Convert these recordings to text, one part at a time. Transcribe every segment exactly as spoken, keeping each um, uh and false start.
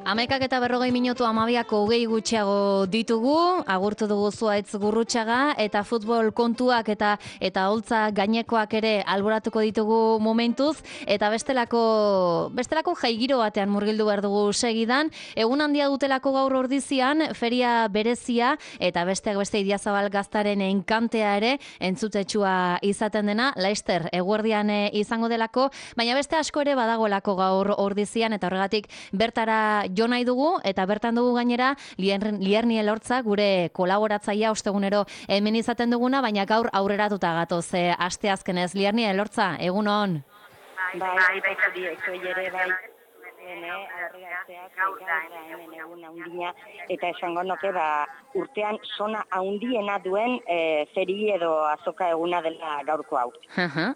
Hamaikak eta berrogei minutu amabiako hogei gutxiago ditugu, agurtu dugu Zuhaitz Gurrutxaga, eta futbol kontuak eta eta holtza gainekoak ere alboratuko ditugu momentuz, eta bestelako bestelako jaigiro batean murgildu behar dugu segidan, egun handia dutelako gaur ordizian, feria berezia, eta besteak beste Idiazabal Gaztaren enkantea ere, entzutetsua izaten dena, Laister eguerdian izango delako, baina beste asko ere badagoelako gaur ordizian, eta horregatik bertara jo nahi dugu, eta bertan dugu gainera Lierni Elortza, gure kolaboratzaia ostegunero hemen izaten duguna, baina gaur aurreratuta gatoz, e, asteazkenez. Lierni Elortza, egun on. Bai, bai, bai, bai, ere bai, gaur da hemen egun haundina, eta esango nuke ba, urtean sona haundiena duen e, feri edo azoka eguna dela gaurko hau.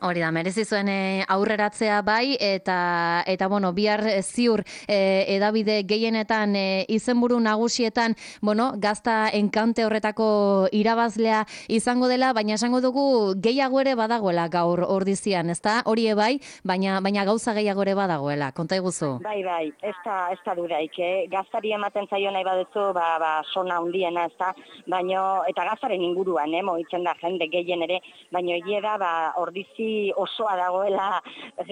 Hori da, merezi zuen e, aurreratzea bai, eta eta bueno, bihar ziur e, edabide gehienetan e, izenburu nagusietan, bueno, gazta enkante horretako irabazlea izango dela, baina esango dugu gehiago ere badagoela gaur ordizian, ezta? Hori bai, baina baina gauza gehiago ere badagoela. Konta iguzu. Bai, bai, ez da, ez da duraik, eh? Gaztari ematen zaio nahi baduzu, ba, ba, sona hundiena, ez da, baino, eta gaztaren inguruan, eh, moitzen da jende gehien ere, baino egie da, ba, ordizi osoa dagoela,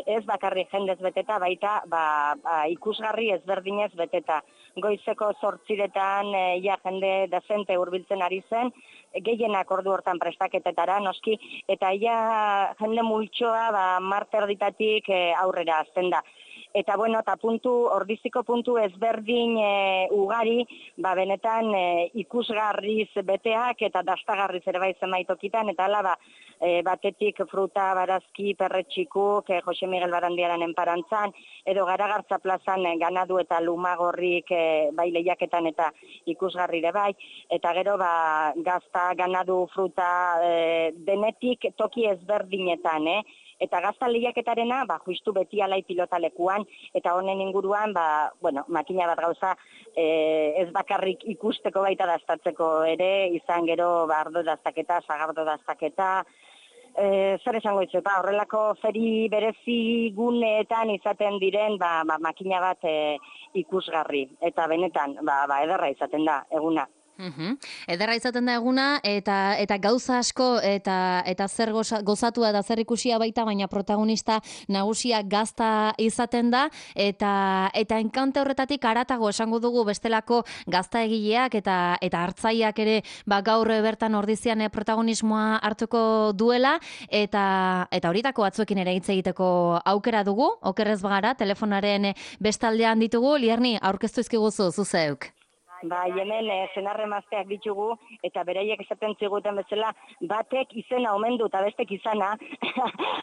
ez bakarri jendez beteta, baita, ba, ba, ikusgarri ezberdinez beteta. Goizeko zortziretan, e, ja jende dezente hurbiltzen ari zen, gehienak ordu hortan prestaketetara, noski, eta ja jende multsoa, ba, marterditatik e, aurrera azten da. Eta bueno, eta puntu, ordiziko puntu ezberdin e, ugari, ba benetan e, ikusgarriz beteak eta dastagarriz ere bai zenbaitokitan, eta hala ba, e, batetik fruta, barazki, perretxikuk, e, Jose Miguel Barandiaran enparantzan, edo Garagartza plazan e, ganadu eta lumagorrik e, bai lehiaketan eta ikusgarri ere bai, eta gero ba, gazta, ganadu, fruta, e, denetik toki ezberdinetan, eh? Eta gazta lehiaketarena, ba, justu beti alai pilotalekuan, eta honen inguruan, ba, bueno, makina bat gauza e, ez bakarrik ikusteko baita daztatzeko ere, izan gero, ba, ardo daztaketa, sagardo daztaketa, e, zer esango itzu, ba, horrelako feri berezi guneetan izaten diren, ba, ba, makina bat e, ikusgarri, eta benetan, ba, ba, ederra izaten da, eguna. Uhum. Ederra izaten da eguna, eta eta gauza asko eta eta zer goza, gozatua da zer ikusia baita, baina protagonista nagusia gazta izaten da, eta eta enkante horretatik haratago esango dugu bestelako gazta egileak eta eta hartzaileak ere ba gaur bertan ordizian protagonismoa hartuko duela, eta eta horitako batzuekin ere hitz egiteko aukera dugu, okerrez bagara, telefonaren bestaldean ditugu. Lierni, aurkeztu izkiguzu zuzeuk. Ba, hemen e, zenarremazteak ditugu, eta beraiek esaten ziguten bezala, batek izena omen du, eta bestek izana,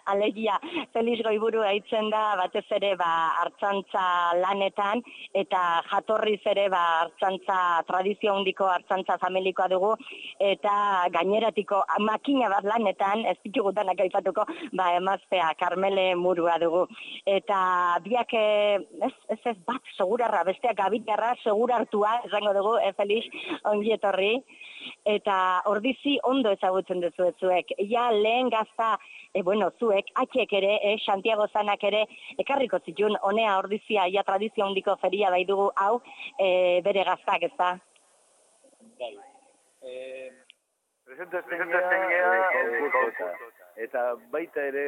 alegia, Felix Goiburu haitzen da, batez ere, ba, hartzantza lanetan, eta jatorriz ere, ba, hartzantza, tradizio handiko hartzantza familikoa dugu, eta gaineratiko makina bat lanetan, ez ditugu danak aipatuko, ba, emaztea, Karmele Murua dugu. Eta biak, ez, ez, ez bat, segurarra, besteak gabitarra, segurartua, esan dugu, e, Felix, ongi etorri, eta ordizi ondo ezagutzen duzu zuek. Ja, lehen gazta, e, bueno, zuek, atxek ere, e, Santiago Zanak ere, ekarriko zitun, honea ordizia, ja, tradizio handiko feria bai dugu, hau, e, bere gaztak, ez da? Bai. Eh, presentazten gara, eta baita ere,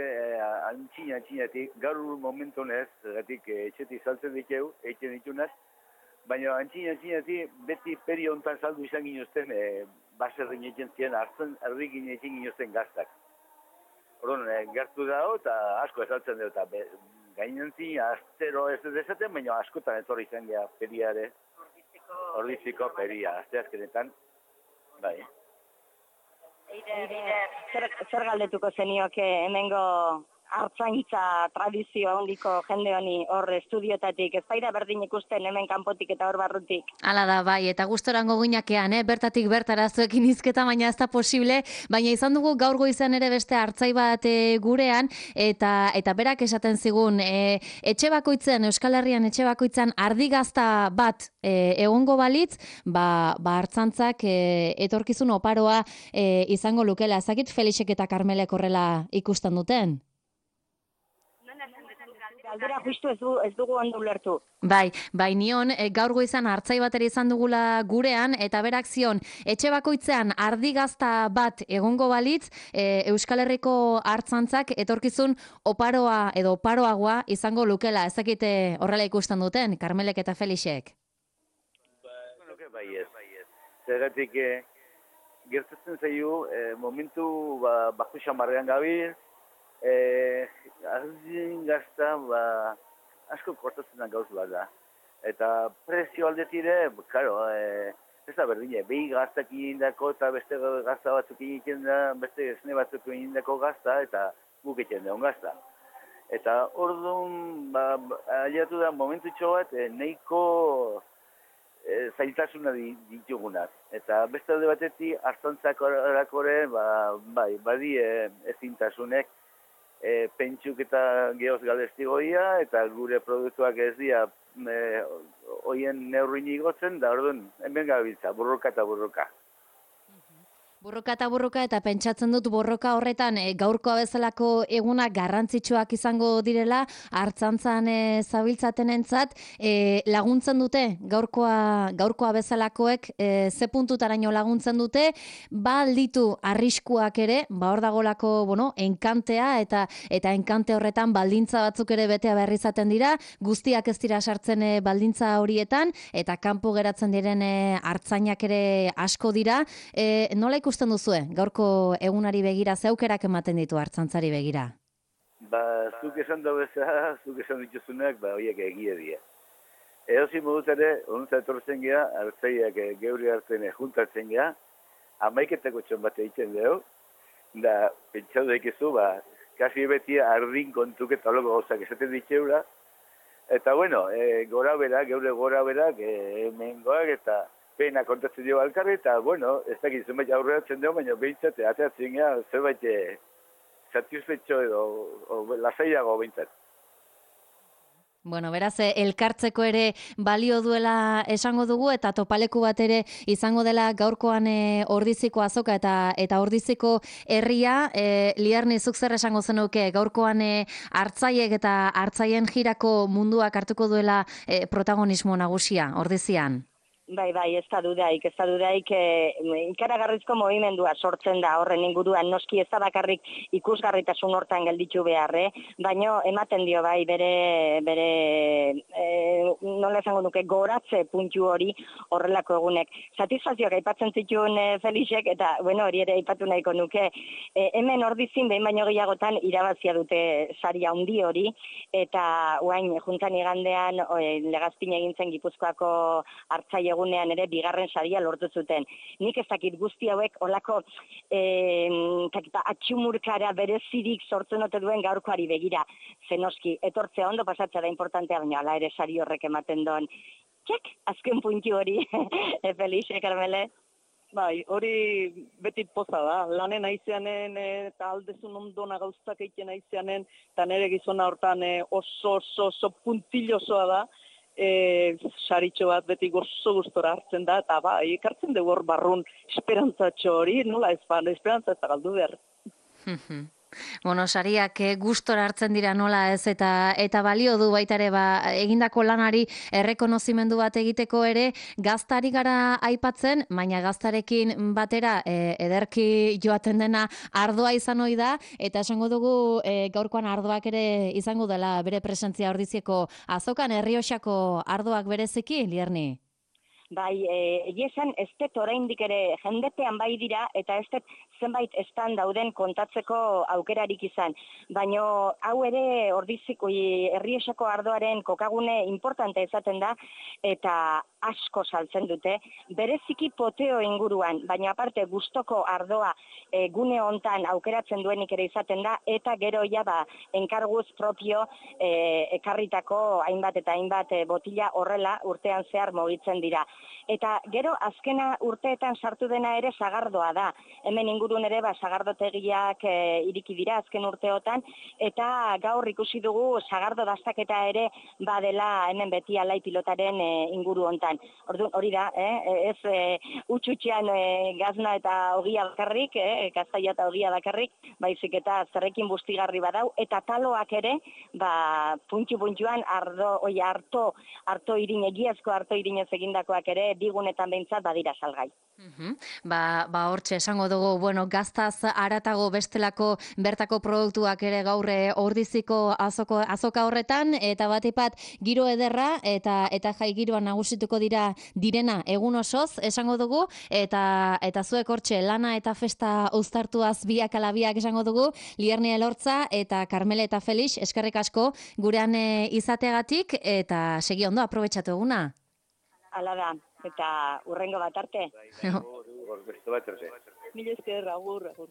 antxina, antxinatik, gaur momentu honez, gatik etxetik saltzen dikeu, etxen ditunaz, baina antxina, antxinatik, beti peri hontan saldu izan ginozten, e, baserrin egin ziren, hartzen errikin egin ginozten gaztak. Orduan, e, gertu dago, eta asko esaltzen dut, eta gainentzi, astero ez dezaten, baina askotan etorri izan gara periare, ordiziko peria, asteazkenetan, bai. Zer, zer galdetuko zenioke hemengo hartzaintza tradizio handiko jende honi hor estudiotatik, ez baira berdin ikusten hemen kanpotik eta hor barrutik. Hala da, bai, eta gustorango gineakean, eh? Bertatik bertara zuekin izketa, baina ez da posible, baina izan dugu gaur goizean ere beste hartzai bat e, gurean, eta eta berak esaten zigun, e, etxe bakoitzen, Euskal Herrian etxe bakoitzan ardigazta bat e, egongo balitz, ba, ba hartzantzak e, etorkizun oparoa e, izango lukela. Ezakit Felixek eta Karmelek horrela ikusten duten? Galdera justu ez, du, ez dugu ondo ulertu. Bai, bai nion, e, gaur goizan hartzai bat ere izan dugula gurean, eta berak zion, etxe bakoitzean ardi gazta bat egongo balitz, e, Euskal Herriko hartzantzak etorkizun oparoa edo oparoagoa izango lukela. Ezakite horrela ikusten duten, Karmelek eta Felixek? Bai ez. Zergatik, eh, gertatzen zaio, eh, momentu ba, bajo xamarrean gabil, eh, ardien gazta ba, asko kortatzen da gauz bat da. Eta prezio aldetire, karo, eh, ez da berdine, behi gaztak indako eta beste gazta batzuk egiten da, beste esne batzuk indako gazta eta guk egiten da, gazta. Eta orduan, ba, aliatu da momentutxo bat, eh, nahiko E, zailtasuna ditugunak. Eta beste alde batetik, hartzantzak orakore, ba, bai, badi e, ezintasunek e, pentsuk eta geoz galestigoia, eta gure produktuak ez dira e, oien neurrin igotzen, da orduan, hemen gabiltza, burruka eta burruka. Burruka eta burruka, eta pentsatzen dut borroka horretan e, gaurkoa bezalako egunak garrantzitsuak izango direla, hartzantzan e, zabiltzatenentzat e, laguntzen dute gaurkoa, gaurkoa bezalakoek e, ze puntutaraino laguntzen dute, ba alditu arriskuak ere, ba hor dagolako, bueno, enkantea eta eta enkante horretan baldintza batzuk ere betea behar izaten dira, guztiak ez dira sartzen e, baldintza horietan, eta kanpo geratzen diren e, hartzainak ere asko dira. E, nola ikusten duzue, gaurko egunari begira, zeukerak ematen ditu hartzantzari begira? Ba, zuk esan da bezala, zuk esan dituzunak, ba, horiek egie dira. Edozi moduz ere, onuntza etortzen geha, hartzaiak geuri hartzen juntatzen geha, amaiketako txon bat egiten dugu, da, pentsau daikizu, ba, kasi beti ardin kontuk eta loko gauzak esaten ditzeura, eta bueno, e, gora berak, geure gora berak, e, mengoak eta pena kontatzen dio alkarri, eta, bueno, ez dakit zenbait aurreratzen dugu, baina behintzat, ateatzen gara, zerbait satisfetxo edo, o, lasaiago behintzat. Bueno, beraz, elkartzeko ere balio duela esango dugu, eta topaleku bat ere izango dela gaurkoan e, Ordiziko azoka eta eta Ordiziko herria. E, Liarni, zuk zer esango zenuke gaurkoan e, hartzaiek eta hartzaien jirako munduak hartuko duela e, protagonismo nagusia, Ordizian? Bai, bai, ez da dudaik, ez da dudaik, e, ikaragarrizko movimendua sortzen da horren inguruan, noski ez da bakarrik ikusgarritasun hortan gelditu beharre, baino ematen dio bai bere, bere e, nola esango nuke, goratze puntu hori horrelako egunek. Satisfazioak aipatzen zituen e, Felixek, eta bueno, hori ere aipatu nahiko nuke, e, hemen Ordizin behin baino gehiagotan irabazia dute saria handi hori, eta guain, juntan igandean e, Legazpin egin zen Gipuzkoako hartzaile egunean ere bigarren saria lortu zuten. Nik ez dakit guzti hauek olako eh, atxumurkara berezirik sortzen ote duen gaurkoari begira. Zenoski, etortzea ondo pasatzea da importantea, baina ala ere sari horrek ematen doan. Txek, azken puntu hori, e, Felixe, Karmele? Bai, hori beti poza da, lanen aizeanen eta aldezun ondona gauztak egiten aizeanen, eta nire gizona hortan oso, oso, oso puntillosoa da, e, saritxo bat beti gozo gustora hartzen da, eta ba, ekartzen dugu hor barrun esperantzatxo hori, nola ez ba, esperantza ez da galdu behar. Bueno, sariak gustora hartzen dira nola ez, eta eta balio du baita ere ba, egindako lanari errekonozimendu bat egiteko ere, gaztari gara aipatzen, baina gaztarekin batera e, ederki joaten dena ardoa izan ohi da, eta esango dugu e, gaurkoan ardoak ere izango dela bere presentzia Ordiziako azokan, Errioxako ardoak bereziki, Lierni? Bai, egia esan, ez dut oraindik ere jendepean bai dira, eta ez dut zenbait estan dauden kontatzeko aukerarik izan. Baina hau ere Ordiziko Errioxako ardoaren kokagune importante esaten da, eta asko saltzen dute, bereziki poteo inguruan, baina aparte gustoko ardoa e, gune hontan aukeratzen duenik ere izaten da, eta gero ja ba, enkarguz propio e, ekarritako hainbat eta hainbat e, botila horrela urtean zehar mugitzen dira. Eta gero azkena urteetan sartu dena ere sagardoa da. Hemen ingurun ere ba, sagardotegiak e, iriki dira azken urteotan, eta gaur ikusi dugu sagardo dastaketa ere badela hemen beti alai pilotaren e, inguru hontan. Orduan hori da, eh? ez e, utxutxean e, gazna eta ogia bakarrik, eh? gaztaia eta ogia bakarrik, baizik eta zerrekin bustigarri badau, eta taloak ere, ba, puntxu-puntxuan ardo, oi, harto, harto irin, egiazko harto irinez egindakoak ere, digunetan behintzat badira salgai. Uhum. Ba, ba hortxe esango dugu, bueno, gaztaz aratago bestelako bertako produktuak ere gaurre ordiziko azoko, azoka horretan, eta batipat giro ederra, eta eta jai giroan nagusituko dira direna egun osoz, esango dugu, eta eta zuek hortxe lana eta festa uztartuaz biak alabiak esango dugu, Lierni Elortza eta Karmele eta Felix, eskerrik asko gurean e, izateagatik, eta segi ondo, aprobetxatu eguna. Hala da, eta urrengo bat arte. Bai, bai, hor, hor, beste bat arte. Mila esker, agur, agur.